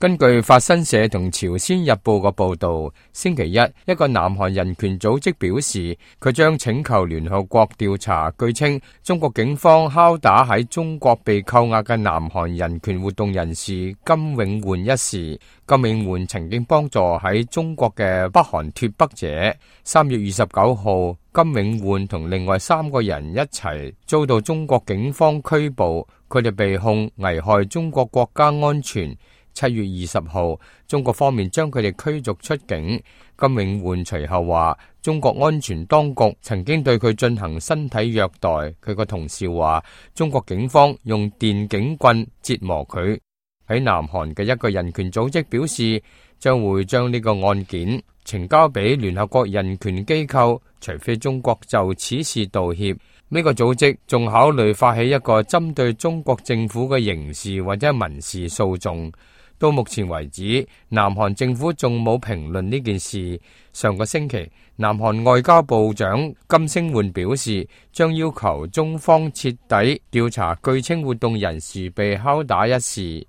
根據法新社同朝鮮日報嘅報道，星期一個南韓人權組織表示，佢將請求聯合國調查，據稱中國警方敲打喺中國被扣押嘅南韓人權活動人士金永煥一事。金永煥曾經幫助喺中國嘅北韓脫北者。3月29號，金永煥同另外3個人一齊遭到中國警方拘捕，佢哋被控危害中國國家安全。7月20號，中國方面將佢哋驅逐出境。金永煥隨後話，中國安全當局曾經對佢進行身體虐待。佢個同事話，中國警方用電警棍折磨佢。喺南韓嘅一個人權組織表示，將會將呢個案件呈交俾聯合國人權機構，除非中國就此事道歉。呢個組織仲考慮發起一個針對中國政府嘅刑事或者民事訴訟。到目前為止，南韓政府仲冇評論呢件事。上個星期，南韓外交部長金星煥表示，將要求中方徹底調查據稱活動人士被敲打一事。